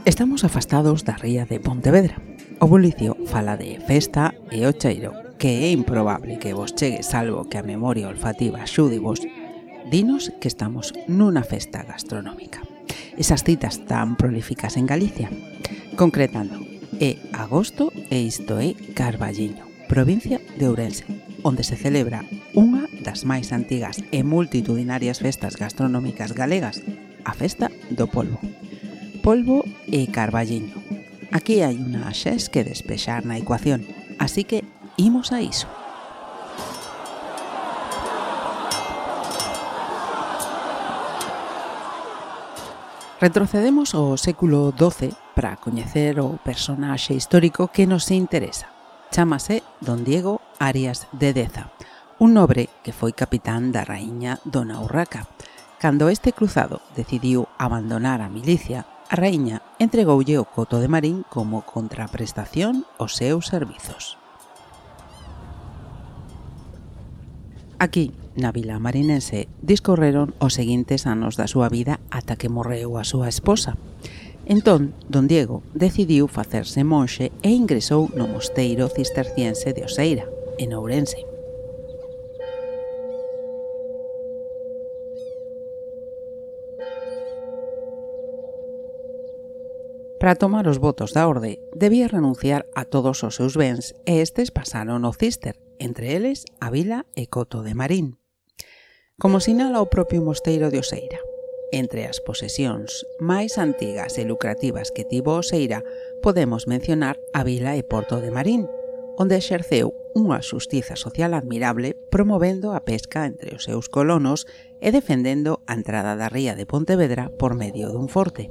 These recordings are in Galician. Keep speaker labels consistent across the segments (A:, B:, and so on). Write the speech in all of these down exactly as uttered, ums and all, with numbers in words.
A: Estamos afastados da ría de Pontevedra. O bulicio fala de festa e o cheiro, que é improbable que vos chegue salvo que a memoria olfativa axude vos. Dinos que estamos nunha festa gastronómica. Esas citas tan prolíficas en Galicia. Concretando, é agosto e isto é Carballiño, provincia de Ourense, onde se celebra unha das máis antigas e multitudinarias festas gastronómicas galegas, a Festa do Polvo. Polvo e Carballiño. Aquí hai unha xes que despexar na ecuación, así que imos a iso. Retrocedemos ao século doce para coñecer o personaxe histórico que nos interesa. Chámase Don Diego Arias de Deza, un nobre que foi capitán da raíña Dona Urraca. Cando este cruzado decidiu abandonar a milicia, a raíña entregoulle o Coto de Marín como contraprestación aos seus servizos. Aquí, na vila marinense, discorreron os seguintes anos da súa vida ata que morreu a súa esposa. Entón, Don Diego decidiu facerse monxe e ingresou no mosteiro cisterciense de Oseira, en Ourense. Para tomar os votos da orde, debía renunciar a todos os seus bens e estes pasaron ao Cister, entre eles a vila e Coto de Marín. Como sinala o propio mosteiro de Oseira, entre as posesións máis antigas e lucrativas que tivo Oseira, podemos mencionar a vila e Porto de Marín, onde exerceu unha xustiza social admirable promovendo a pesca entre os seus colonos e defendendo a entrada da ría de Pontevedra por medio dun forte.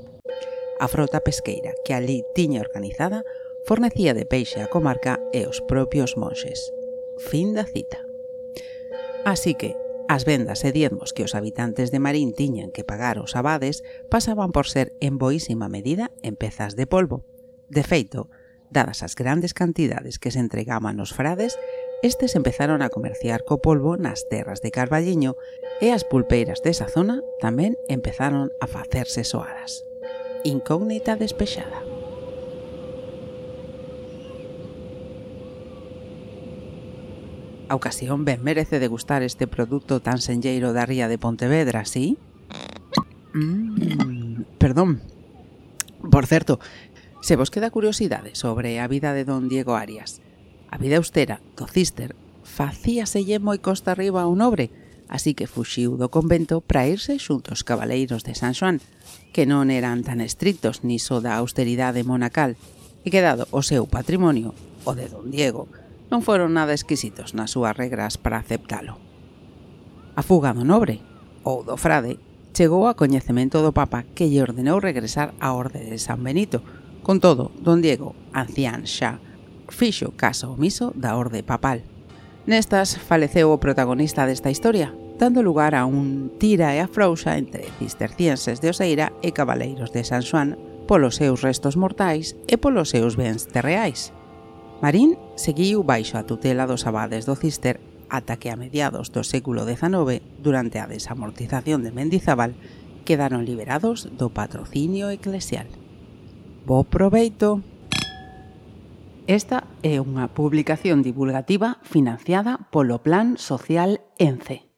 A: A frota pesqueira que ali tiña organizada fornecía de peixe á comarca e os propios monxes. Fin da cita. Así que, as vendas e diezmos que os habitantes de Marín tiñan que pagar aos abades pasaban por ser en boísima medida en pezas de polvo. De feito, dadas as grandes cantidades que se entregaban aos frades, estes empezaron a comerciar co polvo nas terras de Carballiño e as pulpeiras desa zona tamén empezaron a facerse soadas. Incógnita despexada. A ocasión ben merece degustar este produto tan senlleiro da ría de Pontevedra, sí? Mm, perdón. Por certo, se vos queda curiosidade sobre a vida de Don Diego Arias, a vida austera do Cister facíaselle moi costa arriba ao nobre, así que fuxiu do convento para irse xunto aos cabaleiros de San Xoán, que non eran tan estrictos niso da austeridade monacal, e que dado o seu patrimonio, o de Don Diego, non foron nada exquisitos nas súas regras para aceptalo. A fuga do nobre, ou do frade, chegou a coñecemento do Papa que lle ordenou regresar á orde de San Benito. Con todo, Don Diego, ancián xa, fixo caso omiso da orde papal. Nestas faleceu o protagonista desta historia, dando lugar a un tira e afrouxa entre cistercienses de Oseira e cabaleiros de San Xoán polos seus restos mortais e polos seus bens terreais. Marín seguiu baixo a tutela dos abades do Cister ata que a mediados do século dezanove, durante a desamortización de Mendizábal, quedaron liberados do patrocinio eclesial. Bo proveito! Esta é unha publicación divulgativa financiada polo Plan Social ENCE.